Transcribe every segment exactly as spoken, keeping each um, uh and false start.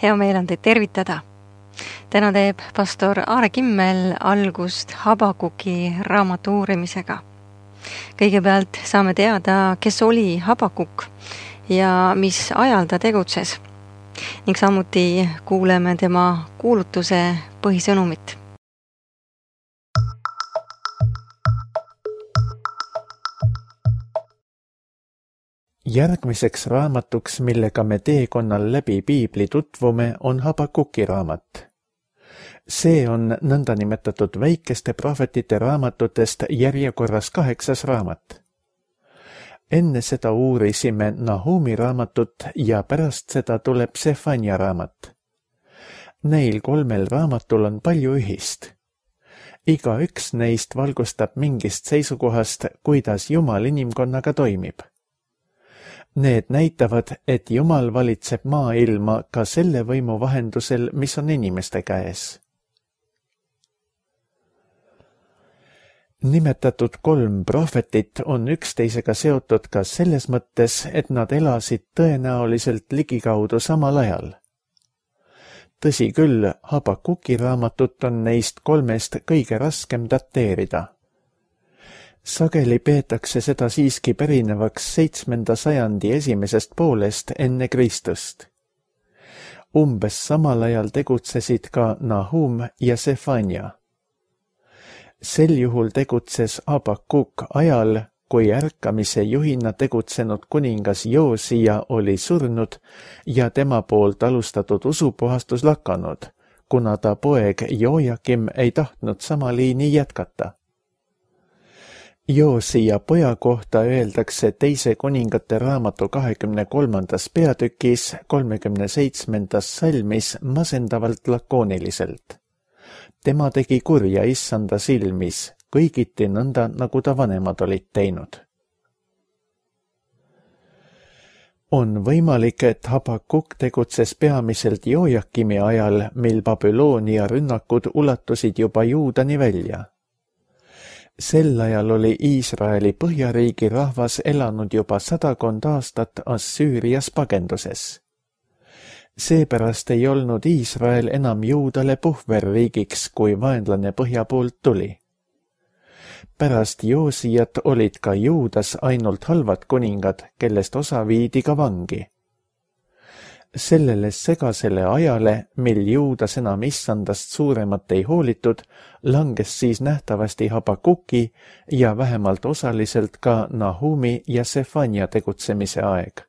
Hea meel on teid tervitada. Täna teeb pastor Aare Kimmel algust Habakuki raamatu uurimisega. Kõigepealt saame teada, kes oli Habakuk ja mis ajal ta tegutses. Ning samuti kuuleme tema kuulutuse põhisõnumit. Järgmiseks raamatuks, millega me teekonnal läbi Piibli tutvume, on Habakuki raamat. See on nõndanimetatud väikeste prohvetite raamatutest järjekorras kaheksas raamat. Enne seda uurisime Nahumi raamatut ja pärast seda tuleb Sefania raamat. Neil kolmel raamatul on palju ühist. Iga üks neist valgustab mingist seisukohast, kuidas Jumal inimkonnaga toimib. Need näitavad, et Jumal valitseb maailma ka selle võimu vahendusel, mis on inimeste käes. Nimetatud kolm prohvetit on üksteisega seotud ka selles mõttes, et nad elasid tõenäoliselt ligikaudu samal ajal. Tõsi küll, Habakuki raamatut on neist kolmest kõige raskem dateerida. Sageli peetakse seda siiski pärinevaks seitsmenda sajandi esimesest poolest enne Kristust. Umbes samal ajal tegutsesid ka Nahum ja Sefania. Sel juhul tegutses Habakuk ajal, kui ärkamise juhina tegutsenud kuningas Joosia oli surnud ja tema poolt alustatud usupuhastus lakanud, kuna ta poeg Joakim ei tahtnud sama liini jätkata. Joosia poja kohta öeldakse teise kuningate raamatu kahekümne kolmandas peatükis kolmekümne seitsmendas salmis masendavalt lakooniliselt. Tema tegi kurja issanda silmis, kõigiti nõnda, nagu ta vanemad olid teinud. On võimalik, et Habakuk tegutses peamiselt Joakimi ajal, mil Babyloonia rünnakud ulatusid juba Juudani välja. Sel ajal oli Iisraeli põhjariigi rahvas elanud juba sadakond aastat Assüürias pagenduses. Seepärast ei olnud Iisrael enam Juudale puhverriigiks, kui vaenlane põhja poolt tuli. Pärast Joosijat olid ka Juudas ainult halvad kuningad, kellest osa viidi ka vangi. Sellele segasele ajale, mil Juudas enam issandast suuremat ei hoolitud, langes siis nähtavasti Habakuki ja vähemalt osaliselt ka Nahumi ja Sefania tegutsemise aeg.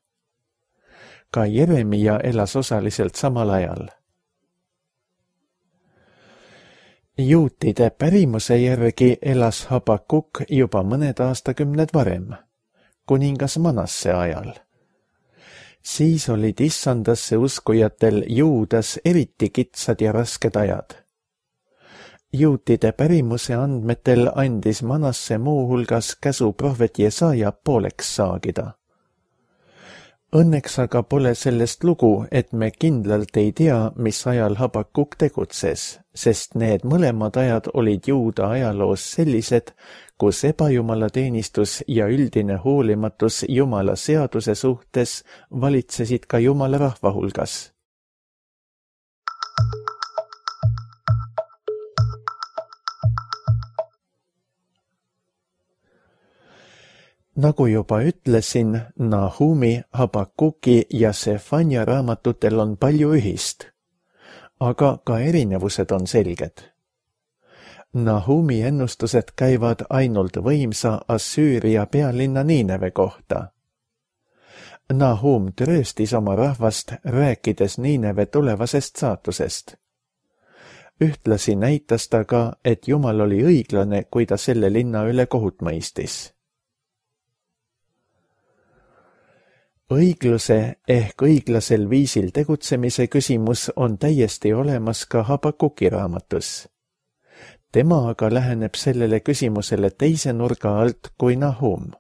Ka Jeremia elas osaliselt samal ajal. Juutide pärimuse järgi elas Habakuk juba mõned aastakümned varem, kuningas Manasse ajal. Siis olid issandasse uskujatel Juudas eriti kitsad ja rasked ajad. Juutide pärimuse andmetel andis Manasse muu hulgas käsu prohvet Jesaja pooleks saagida. Õnneks aga pole sellest lugu, et me kindlalt ei tea, mis ajal Habakuk tegutses, sest need mõlemad ajad olid Juuda ajaloos sellised, kus ebajumala teenistus ja üldine hoolimatus Jumala seaduse suhtes valitsesid ka Jumala rahva hulgas. Nagu juba ütlesin, Nahumi, Habakuki ja Sefania raamatutel on palju ühist, aga ka erinevused on selged. Nahumi ennustused käivad ainult võimsa Assüüria pealinna Niineve kohta. Nahum trööstis oma rahvast, rääkides Niineve tulevasest saatusest. Ühtlasi näitas ta ka, et Jumal oli õiglane, kui ta selle linna üle kohut mõistis. Õigluse ehk õiglasel viisil tegutsemise küsimus on täiesti olemas ka Habakuki raamatus. Tema aga läheneb sellele küsimusele teise nurga alt kui Nahum.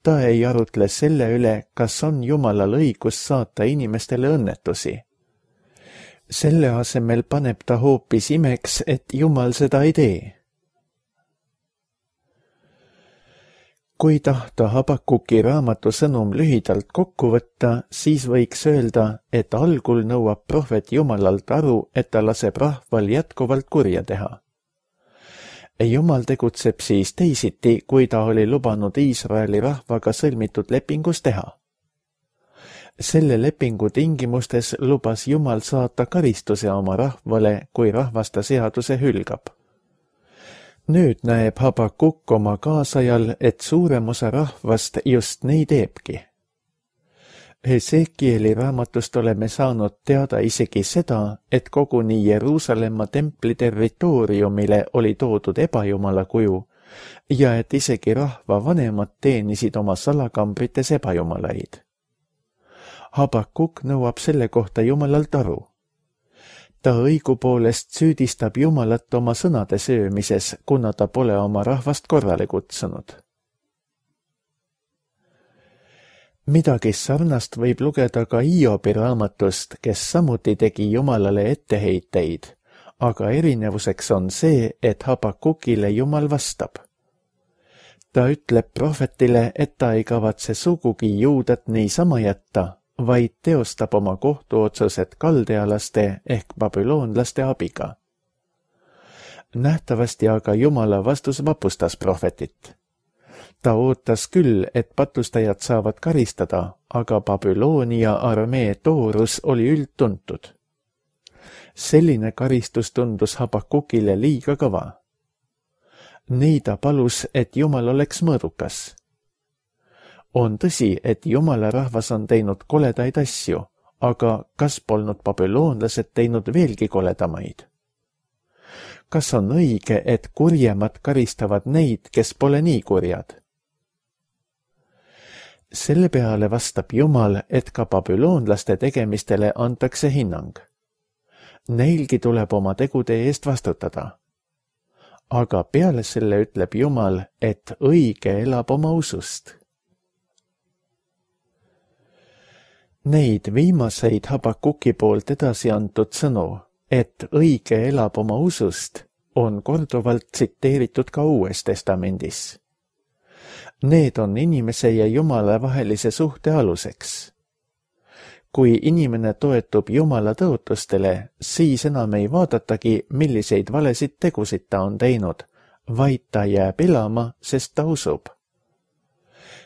Ta ei arutle selle üle, kas on Jumalal õigus saata inimestele õnnetusi. Selle asemel paneb ta hoopis imeks, et Jumal seda ei tee. Kui tahta Habakuki raamatu sõnum lühidalt kokku võtta, siis võiks öelda, et algul nõuab prohvet Jumalalt aru, et ta laseb rahval jätkuvalt kurja teha. Jumal tegutseb siis teisiti, kui ta oli lubanud Iisraeli rahvaga sõlmitud lepingus teha. Selle lepingu tingimustes lubas Jumal saata karistuse oma rahvale, kui rahvas ta seaduse hülgab. Nüüd näeb Habakuk oma kaasajal, et suurem osa rahvast just nii teebki. Hesekieli raamatust oleme saanud teada isegi seda, et koguni Jeruusalemma templi territooriumile oli toodud ebajumala kuju ja et isegi rahva vanemad teenisid oma salakambrites ebajumalaid. Habakuk nõuab selle kohta Jumalalt aru. Ta õigupoolest süüdistab Jumalat oma sõnade söömises, kuna ta pole oma rahvast korrale kutsunud. Midagi sarnast võib lugeda ka Hiobi raamatust, kes samuti tegi Jumalale etteheiteid, aga erinevuseks on see, et Habakukile Jumal vastab. Ta ütleb prohvetile, et ta ei kavatse sugugi Juudat niisama jätta, vaid teostab oma kohtuotsused kaldealaste ehk babüloonlaste abiga. Nähtavasti aga Jumala vastus vapustas prohvetit. Ta ootas küll, et patustajad saavad karistada, aga Babyloonia armee toorus oli üldtuntud. Selline karistus tundus Habakukile liiga kõva. Nii ta palus, et Jumal oleks mõõdukas. On tõsi, et Jumala rahvas on teinud koledaid asju, aga kas polnud babüloonlased teinud veelgi koledamaid? Kas on õige, et kurjemad karistavad neid, kes pole nii kurjad? Selle peale vastab Jumal, et ka babüloonlaste tegemistele antakse hinnang. Neilgi tuleb oma tegude eest vastutada. Aga peale selle ütleb Jumal, et õige elab oma usust. Neid viimaseid Habakuki poolt edasi antud sõnu, et õige elab oma usust, on korduvalt tsiteeritud ka Uues Testamendis. Need on inimese ja Jumala vahelise suhte aluseks. Kui inimene toetub Jumala tõotustele, siis enam ei vaadatagi, milliseid valesid tegusid ta on teinud, vaid ta jääb elama, sest ta usub.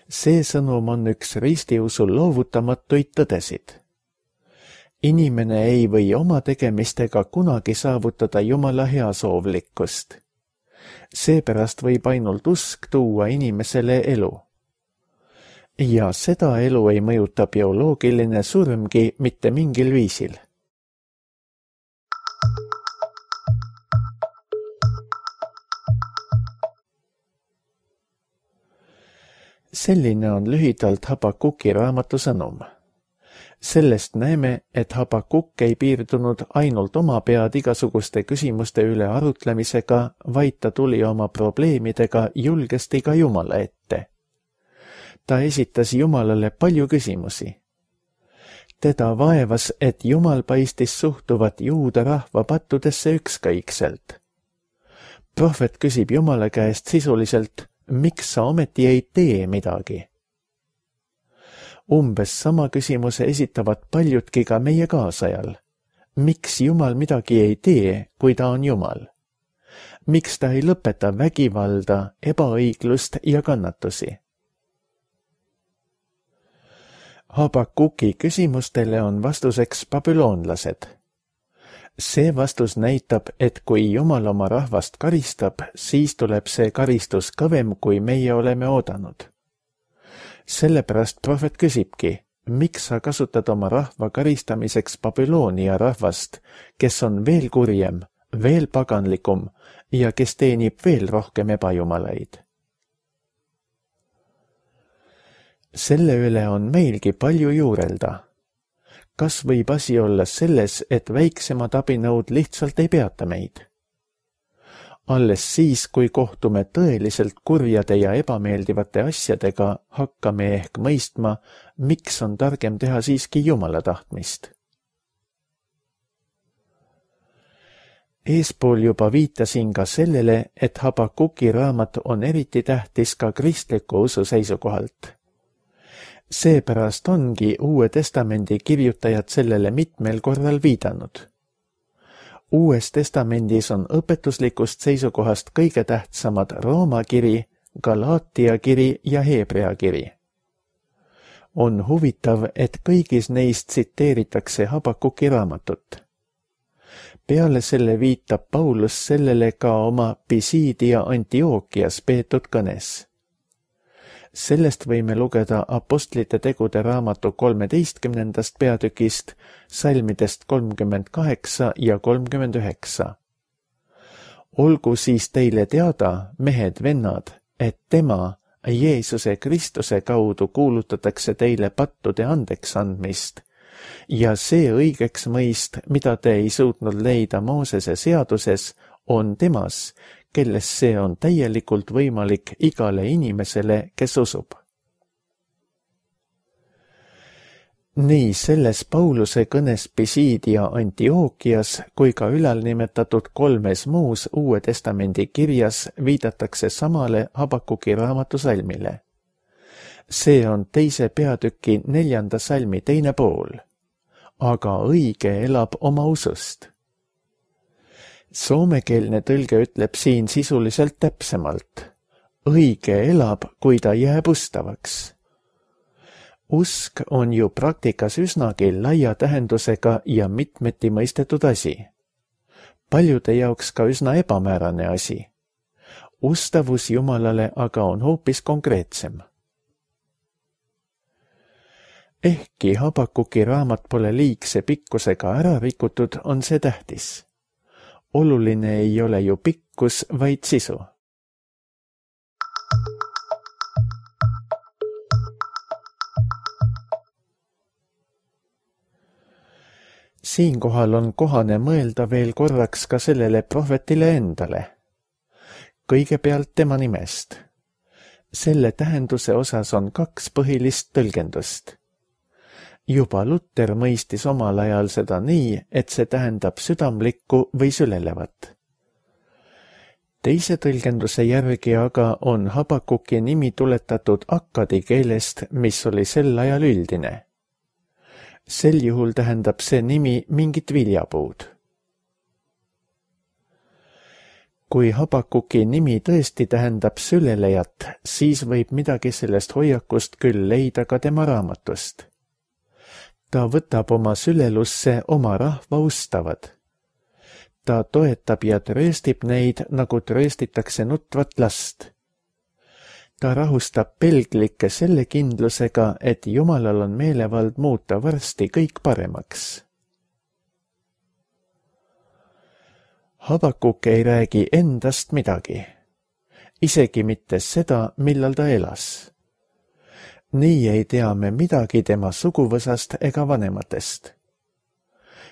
See sõnum on üks ristiusu loovutamatuid tõdesid. Inimene ei või oma tegemistega kunagi saavutada Jumala heasoovlikkust. Seepärast võib ainult usk tuua inimesele elu. Ja seda elu ei mõjuta bioloogiline surmgi mitte mingil viisil. Selline on lühidalt Habakuki raamatu sõnum. Sellest näeme, et Habakuk ei piirdunud ainult oma pead igasuguste küsimuste üle arutlemisega, vaid ta tuli oma probleemidega julgesti ka Jumala ette. Ta esitas Jumalale palju küsimusi. Teda vaevas, et Jumal paistis suhtuvat juuda rahva pattudesse ükskõikselt. Prohvet küsib Jumala käest sisuliselt, miks sa ometi ei tee midagi? Umbes sama küsimuse esitavad paljudki ka meie kaasajal. Miks Jumal midagi ei tee, kui ta on Jumal? Miks ta ei lõpeta vägivalda, ebaõiglust ja kannatusi? Habakuki küsimustele on vastuseks babüloonlased. See vastus näitab, et kui Jumal oma rahvast karistab, siis tuleb see karistus kõvem, kui meie oleme oodanud. Sellepärast prohvet küsibki, miks sa kasutad oma rahva karistamiseks Babyloonia rahvast, kes on veel kurjem, veel paganlikum ja kes teenib veel rohkem ebajumalaid. Selle üle on meilgi palju juurelda. Kas võib asi olla selles, et väiksemad abinõud lihtsalt ei peata meid? Alles siis, kui kohtume tõeliselt kurjade ja ebameeldivate asjadega, hakkame ehk mõistma, miks on targem teha siiski Jumala tahtmist. Eespool juba viitasin ka sellele, et Habakuki raamat on eriti tähtis ka kristliku usu seisukohalt. Seepärast ongi Uue Testamendi kirjutajad sellele mitmel korral viidanud. Uues testamendis on õpetuslikust seisukohast kõige tähtsamad Rooma kiri, Galaatia kiri ja Heebrea kiri. On huvitav, et kõigis neist tsiteeritakse Habakuki raamatut. Peale selle viitab Paulus sellele ka oma Pisidia Antiookias peetud kõnes. Sellest võime lugeda Apostlite tegude raamatu kolmeteistkümnendast peatükist, salmidest kolmkümmend kaheksa ja kolmkümmend üheksa. Olgu siis teile teada, mehed, vennad, et tema, Jeesuse Kristuse kaudu kuulutatakse teile pattude andeks andmist, ja see õigeks mõist, mida te ei suutnud leida Moosese seaduses, on temas, kelles see on täielikult võimalik igale inimesele, kes usub. Nii selles Pauluse kõnes Pisidia Antiookias kui ka ülalnimetatud kolmes muus Uue Testamendi kirjas viidatakse samale Habakuki raamatu salmile. See on teise peatüki neljanda salmi teine pool. Aga õige elab oma usust. Soomekeelne tõlge ütleb siin sisuliselt täpsemalt. Õige elab, kui ta jääb ustavaks. Usk on ju praktikas üsnagi laia tähendusega ja mitmeti mõistetud asi. Paljude jaoks ka üsna ebamäärane asi. Ustavus Jumalale aga on hoopis konkreetsem. Ehkki Habakuki raamat pole liigse pikkusega ära rikutud, on see tähtis. Oluline ei ole ju pikkus, vaid sisu. Siinkohal on kohane mõelda veel korraks ka sellele prohvetile endale. Kõigepealt tema nimest. Selle tähenduse osas on kaks põhilist tõlgendust. Juba Luter mõistis omal ajal seda nii, et see tähendab südamlikku või sülelevat. Teise tõlgenduse järgi aga on Habakuki nimi tuletatud akkadi keelest, mis oli sel ajal üldine. Sel juhul tähendab see nimi mingit viljapuud. Kui Habakuki nimi tõesti tähendab sülelejat, siis võib midagi sellest hoiakust küll leida ka tema raamatust. Ta võtab oma sülelusse oma rahva ustavad. Ta toetab ja trööstib neid, nagu trööstitakse nutvat last. Ta rahustab pelglikke selle kindlusega, et Jumalal on meelevald muuta varsti kõik paremaks. Habakuk ei räägi endast midagi, isegi mitte seda, millal ta elas. Nii ei tea me midagi tema suguvõsast ega vanematest.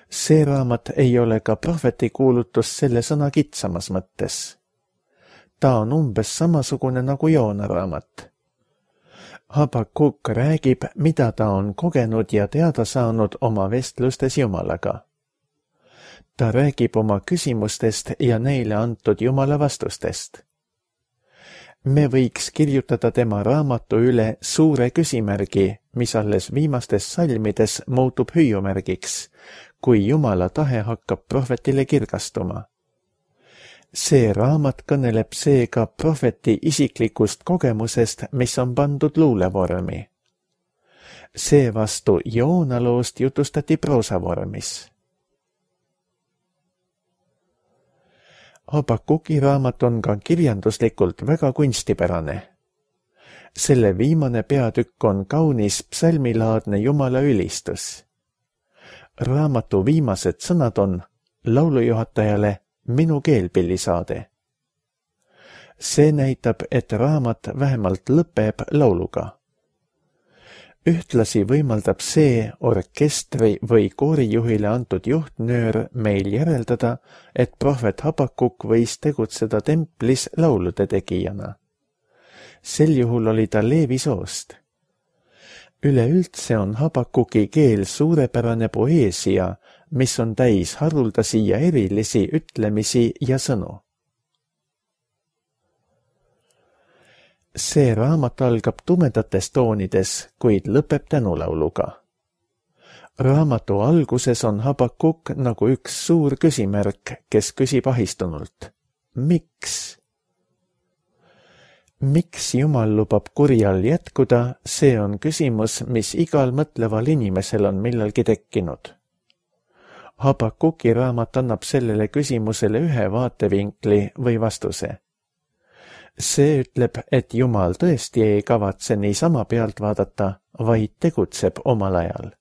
See raamat ei ole ka prohveti kuulutus selle sõna kitsamas mõttes. Ta on umbes samasugune nagu Joona raamat. Habakuk räägib, mida ta on kogenud ja teada saanud oma vestlustes Jumalaga. Ta räägib oma küsimustest ja neile antud Jumala vastustest. Me võiks kirjutada tema raamatu üle suure küsimärgi, mis alles viimastes salmides muutub hüüumärgiks, kui Jumala tahe hakkab prohvetile kirgastuma. See raamat kõneleb seega prohveti isiklikust kogemusest, mis on pandud luulevormi. Seevastu Joona loost jutustati proosavormis. Habakuki raamat on ka kirjanduslikult väga kunstipärane. Selle viimane peatükk on kaunis psalmilaadne Jumala ülistus. Raamatu viimased sõnad on laulujuhatajale minu keelpillisaade. See näitab, et raamat vähemalt lõpeb lauluga. Ühtlasi võimaldab see orkestri või koorijuhile antud juhtnöör meil järeldada, et prohvet Habakuk võis tegutseda templis laulude tegijana. Sel juhul oli ta Leevi soost. Üleüldse on Habakuki keel suurepärane poeesia, mis on täis haruldasi ja erilisi ütlemisi ja sõnu. See raamat algab tumedates toonides, kuid lõpeb tänulauluga. Raamatu alguses on Habakuk nagu üks suur küsimärk, kes küsib ahistunult. Miks? Miks Jumal lubab kurjal jätkuda, see on küsimus, mis igal mõtleval inimesel on millalgi tekkinud. Habakuki raamat annab sellele küsimusele ühe vaatevinkli või vastuse. See ütleb, et Jumal tõesti ei kavatse niisama pealt vaadata, vaid tegutseb omal ajal.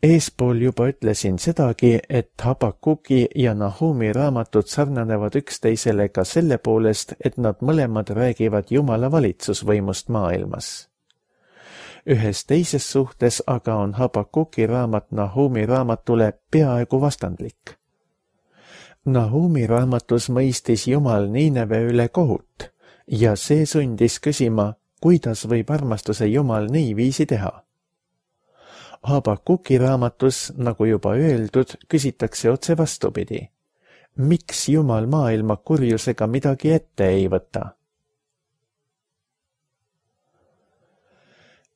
Eespool juba ütlesin sedagi, et Habakuki ja Nahumi raamatud sarnanevad üksteisele ka selle poolest, et nad mõlemad räägivad Jumala valitsusvõimust maailmas. Ühes teises suhtes aga on Habakuki raamat Nahumi raamatule peaaegu vastandlik. Nahumi raamatus mõistis Jumal Niineve üle kohut ja see sundis küsima, kuidas võib armastuse Jumal niiviisi teha. Habakuki raamatus, nagu juba öeldud, küsitakse otse vastupidi. Miks Jumal maailma kurjusega midagi ette ei võta?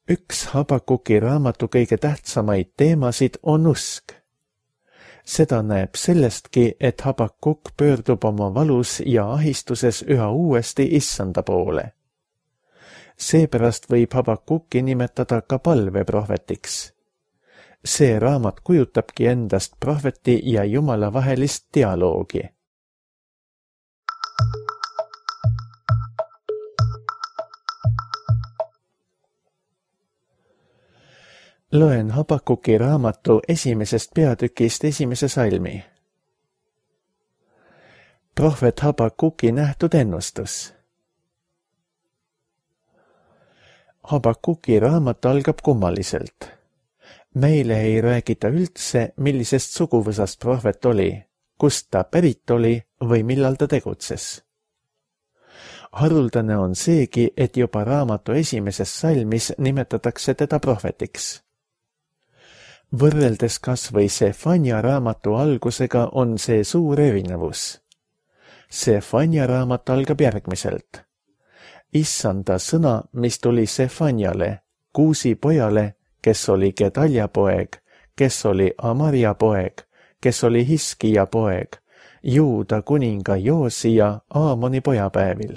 Üks Habakuki raamatu kõige tähtsamaid teemasid on usk. Seda näeb sellestki, et Habakuk pöördub oma valus ja ahistuses üha uuesti issanda poole. Seepärast võib Habakuki nimetada ka palveprohvetiks. See raamat kujutabki endast prohveti ja Jumala vahelist dialoogi. Loen Habakuki raamatu esimesest peatükist esimese salmi. Prohvet Habakuki nähtud ennustus. Habakuki raamat algab kummaliselt. Meile ei räägita üldse, millisest suguvõsast prohvet oli, kust ta pärit oli või millal ta tegutses. Haruldane on seegi, et juba raamatu esimeses salmis nimetatakse teda prohvetiks. Võrreldes kas või Sefania raamatu algusega on see suur erinevus. Sefania raamat algab järgmiselt. Issanda sõna, mis tuli Sefaniale, Kuusi pojale, kes oli Gedalja poeg, kes oli Amaria poeg, kes oli Hiskija poeg, Juuda kuninga Joosia Aamoni pojapäevil.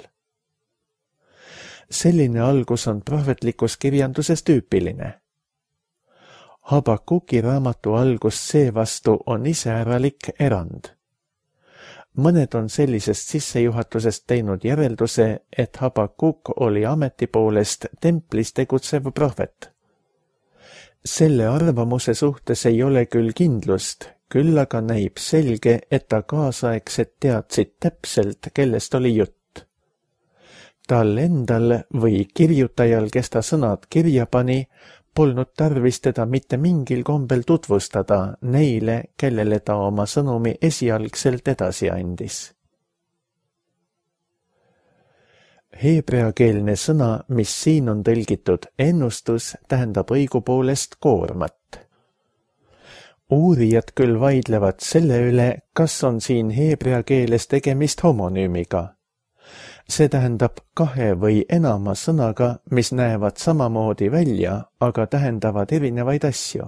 Selline algus on prohvetlikus kirjanduses tüüpiline. Habakuki raamatu algus seevastu on iseäralik erand. Mõned on sellisest sissejuhatusest teinud järelduse, et Habakuk oli ameti poolest templis tegutsev prohvet. Selle arvamuse suhtes ei ole küll kindlust, küll aga näib selge, et ta kaasaegsed teadsid täpselt, kellest oli jutt. Tal endal või kirjutajal, kes ta sõnad kirja pani, polnud tarvis teda mitte mingil kombel tutvustada neile, kellele ta oma sõnumi esialgselt edasi andis. Heebreakeelne sõna, mis siin on tõlgitud ennustus, tähendab õigupoolest koormat. Uurijad küll vaidlevad selle üle, kas on siin heebrea keeles tegemist homonüümiga. See tähendab kahe või enama sõnaga, mis näevad samamoodi välja, aga tähendavad erinevaid asju.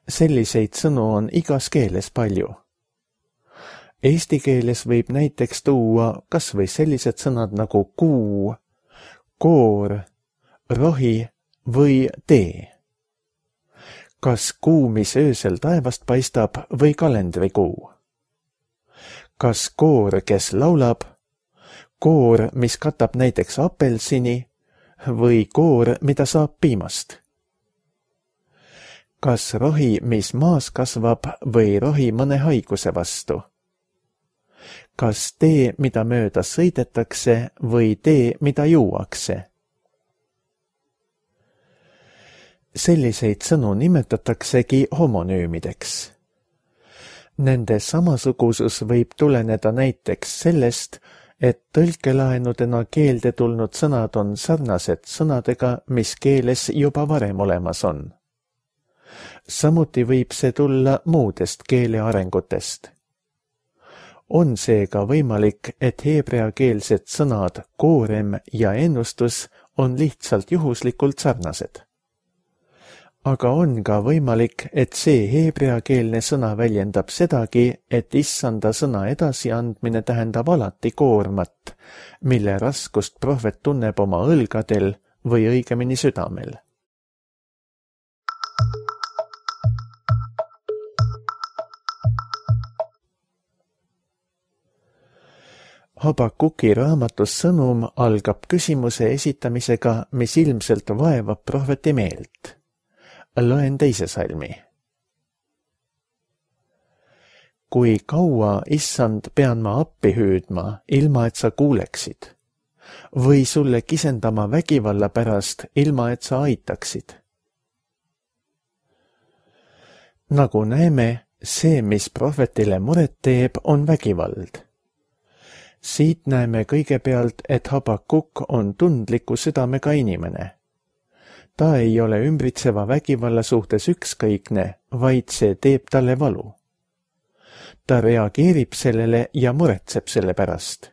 Selliseid sõnu on igas keeles palju. Eesti keeles võib näiteks tuua kas või sellised sõnad nagu kuu, koor, rohi või tee. Kas kuu, mis öösel taevast paistab, või kalendrikuu? Kas koor, kes laulab, koor, mis katab näiteks apelsini, või koor, mida saab piimast? Kas rohi, mis maas kasvab, või rohi mõne haiguse vastu? Kas tee, mida mööda sõidetakse, või tee, mida juuakse? Selliseid sõnu nimetataksegi homonüümideks. Nende samasugusus võib tuleneda näiteks sellest, et tõlkelaenudena keelde tulnud sõnad on sarnased sõnadega, mis keeles juba varem olemas on. Samuti võib see tulla muudest keele arengutest. On seega võimalik, et heebreakeelsed sõnad koorem ja ennustus on lihtsalt juhuslikult sarnased. Aga on ka võimalik, et see heebreakeelne sõna väljendab sedagi, et issanda sõna edasiandmine tähendab alati koormat, mille raskust prohvet tunneb oma õlgadel või õigemini südamel. Habakuki raamatus sõnum algab küsimuse esitamisega, mis ilmselt vaevab prohveti meelt. Loen teise salmi. Kui kaua, issand, pean ma appi hüüdma, ilma et sa kuuleksid? Või sulle kisendama vägivalla pärast, ilma et sa aitaksid? Nagu näeme, see, mis prohvetile muret teeb, on vägivald. Siit näeme kõigepealt, et Habakuk on tundliku südamega inimene. Ta ei ole ümbritseva vägivalla suhtes ükskõikne, vaid see teeb talle valu. Ta reageerib sellele ja muretseb selle pärast.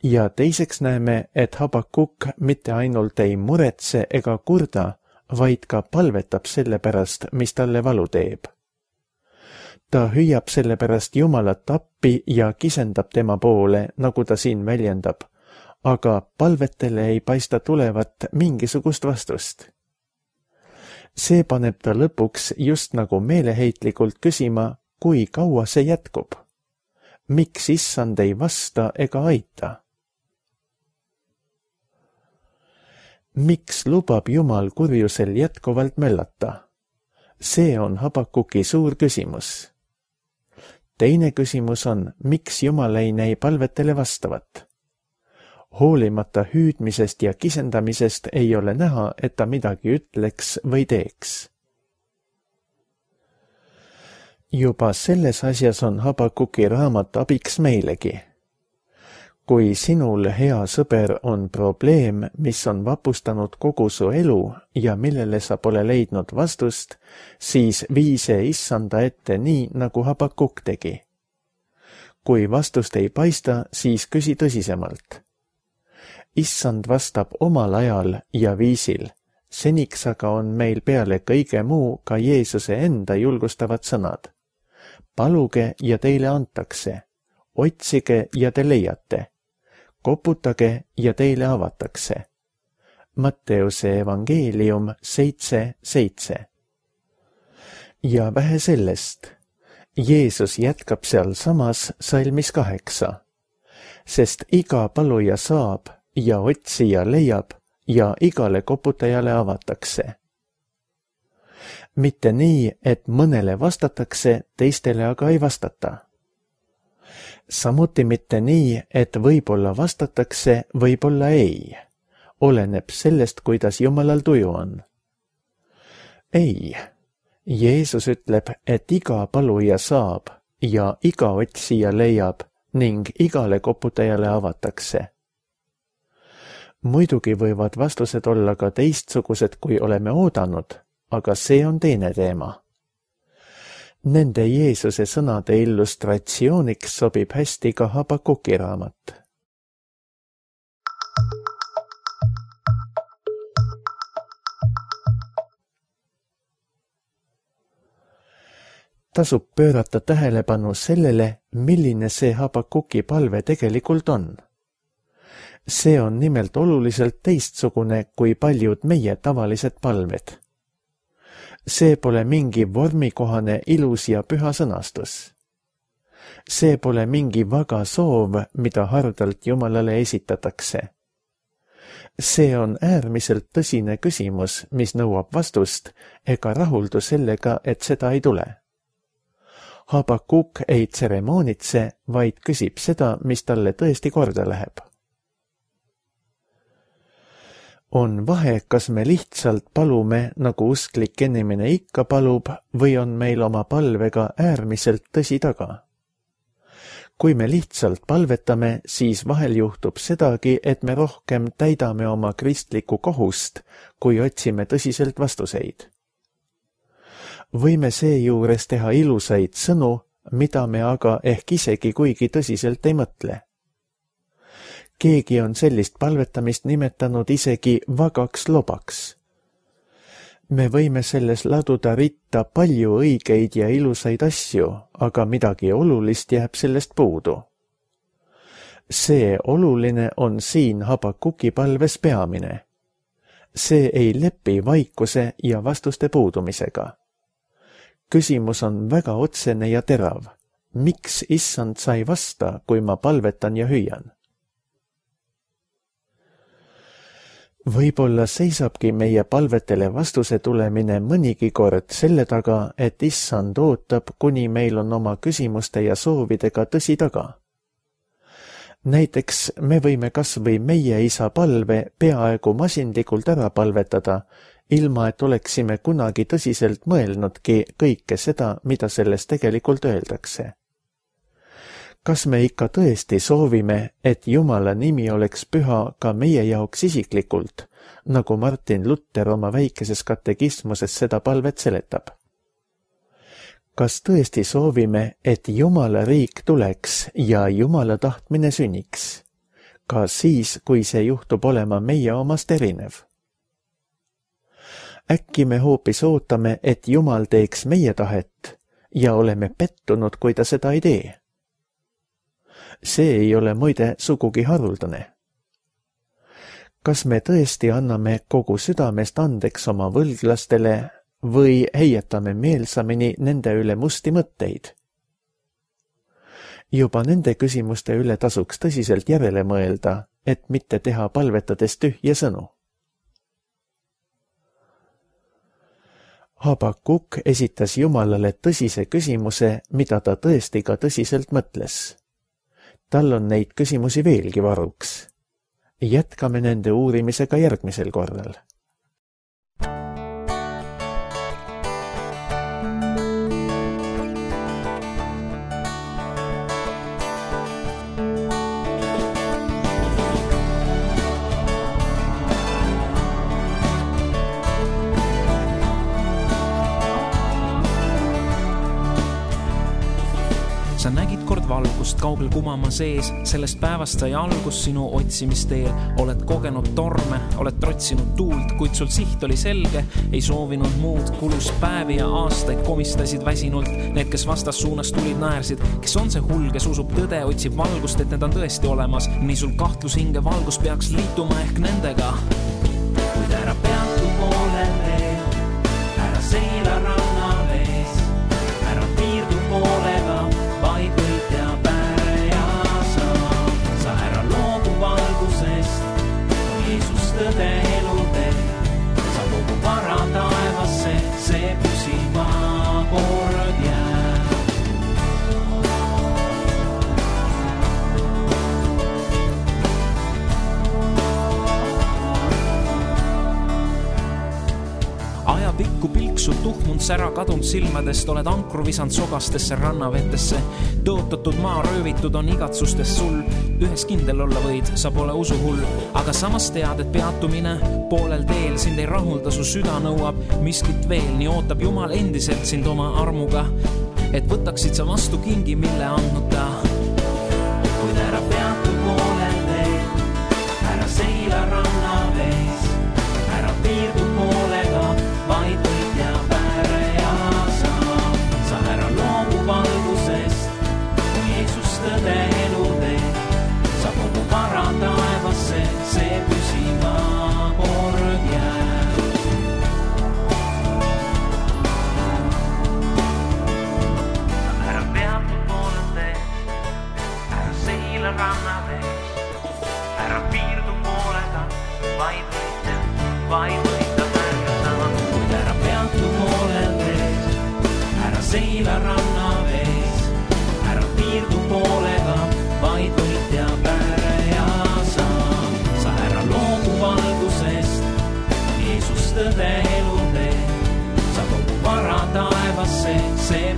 Ja teiseks näeme, et Habakuk mitte ainult ei muretse ega kurda, vaid ka palvetab selle pärast, mis talle valu teeb. Ta hüüab selle pärast Jumalat appi ja kisendab tema poole, nagu ta siin väljendab, aga palvetele ei paista tulevat mingisugust vastust. See paneb ta lõpuks just nagu meeleheitlikult küsima, kui kaua see jätkub. Miks issand ei vasta ega aita? Miks lubab Jumal kurjusel jätkuvalt möllata? See on Habakuki suur küsimus. Teine küsimus on, miks Jumal ei näi palvetele vastavat? Hoolimata hüüdmisest ja kisendamisest ei ole näha, et ta midagi ütleks või teeks. Juba selles asjas on Habakuki raamat abiks meilegi. Kui sinul, hea sõber, on probleem, mis on vapustanud kogu su elu ja millele sa pole leidnud vastust, siis vii see issanda ette nii, nagu Habakuk tegi. Kui vastust ei paista, siis küsi tõsisemalt. Issand vastab omal ajal ja viisil, seniks aga on meil peale kõige muu ka Jeesuse enda julgustavad sõnad. Paluge ja teile antakse, otsige ja te leiate. Koputage ja teile avatakse. Matteuse evangeelium seitse seitse. Ja vähe sellest. Jeesus jätkab seal samas salmis kaheksa. Sest iga paluja saab ja otsija leiab ja igale koputajale avatakse. Mitte nii, et mõnele vastatakse, teistele aga ei vastata. Samuti mitte nii, et võib-olla vastatakse, võib-olla ei. Oleneb sellest, kuidas Jumalal tuju on. Ei. Jeesus ütleb, et iga paluja saab ja iga otsija leiab ning igale koputajale avatakse. Muidugi võivad vastused olla ka teistsugused, kui oleme oodanud, aga see on teine teema. Nende Jeesuse sõnade illustratsiooniks sobib hästi ka Habakuki raamat. Tasub pöörata tähelepanu sellele, milline see Habakuki palve tegelikult on. See on nimelt oluliselt teistsugune kui paljud meie tavalised palved. See pole mingi vormikohane ilus ja püha sõnastus. See pole mingi vaga soov, mida hardalt Jumalale esitatakse. See on äärmiselt tõsine küsimus, mis nõuab vastust, ega rahuldu sellega, et seda ei tule. Habakuk ei tseremoonitse, vaid küsib seda, mis talle tõesti korda läheb. On vahe, kas me lihtsalt palume, nagu usklik inimene ikka palub, või on meil oma palvega äärmiselt tõsi taga. kui me lihtsalt palvetame, siis vahel juhtub sedagi, et me rohkem täidame oma kristlikku kohust, kui otsime tõsiselt vastuseid. Võime seejuures teha ilusaid sõnu, mida me aga ehk isegi kuigi tõsiselt ei mõtle. Keegi on sellist palvetamist nimetanud isegi vagaks lobaks. Me võime selles laduda ritta palju õigeid ja ilusaid asju, aga midagi olulist jääb sellest puudu. See oluline on siin Habakuki palves peamine. See ei lepi vaikuse ja vastuste puudumisega. Küsimus on väga otsene ja terav. Miks issand sai vasta, kui ma palvetan ja hüüan? Võib-olla seisabki meie palvetele vastuse tulemine mõnigi kord selle taga, et issand ootab, kuni meil on oma küsimuste ja soovidega tõsi taga. Näiteks me võime kas või meie isa palve peaaegu masindlikult ära palvetada, ilma et oleksime kunagi tõsiselt mõelnudki kõike seda, mida selles tegelikult öeldakse. Kas me ikka tõesti soovime, et Jumala nimi oleks püha ka meie jaoks isiklikult, nagu Martin Luther oma väikeses katekismuses seda palvet seletab? Kas tõesti soovime, et Jumala riik tuleks ja Jumala tahtmine sünniks, ka siis, kui see juhtub olema meie omast erinev? Äkki me hoopis ootame, et Jumal teeks meie tahet ja oleme pettunud, kui ta seda ei tee? See ei ole muide sugugi haruldane. Kas me tõesti anname kogu südamest andeks oma võlglastele või heietame meelsamini nende üle musti mõtteid? Juba nende küsimuste üle tasuks tõsiselt järele mõelda, et mitte teha palvetades tühje sõnu. Habakuk esitas Jumalale tõsise küsimuse, mida ta tõesti ka tõsiselt mõtles. Tal on neid küsimusi veelgi varuks. Jätkame nende uurimisega järgmisel korral. Sa nägid kord valgust kaugel kumama sees, sellest päevast sai algus sinu otsimisteel. Oled kogenud torme, oled trotsinud tuult, kuid sul siht oli selge, ei soovinud muud. Kulus päevi ja aastaid komistasid väsinult, need, kes vastas suunas tulid, naersid. Kes on see hull, kes usub tõde, otsib valgust, et need on tõesti olemas. Nii sul kahtlus hinge valgus peaks liituma ehk nendega. Kuid ära peatu poolel veel, ära seila ranna vees, ära piirdu poolega, vaid võitja pääre ja sa. Sa ära loobu valgusest, on Jeesus tõde elu tee. Sa kogu vara taevasse, see püsima kord jääb. Ajapikku pilk sul tuhmunud sära kadunud silmadest, oled ankru visand sogastesse rannavetesse. Tõotatud maa röövitud on igatsustest sul, ühes kindel olla võid, sa pole usuhull. Aga samas tead, et peatumine poolel teel sind ei rahulda, su süda nõuab miskit veel. Nii ootab Jumal endiselt sind oma armuga, et võtaksid sa vastu kingi, mille andnud ta. Kuid ära peatu poolel teel, ära seila ranna vees, ära piirdu poolega, vaid võitja pääre ja sa. Sa ära loobu valgusest, kui Jeesus tõde elu tee. Sa kogu vara taevasse, see püsima kord jääb. Ära peatu poolel tee, ära seila ranna vees, ära piirdu poolega, vaid võitja, vaid võitja. Seila ranna vees, ära piirdu poolega, vaid võitja pääre ja sa. Sa ära loobu valgusest, Jeesus tõde elu tee. Sa kogu vara taevasse, see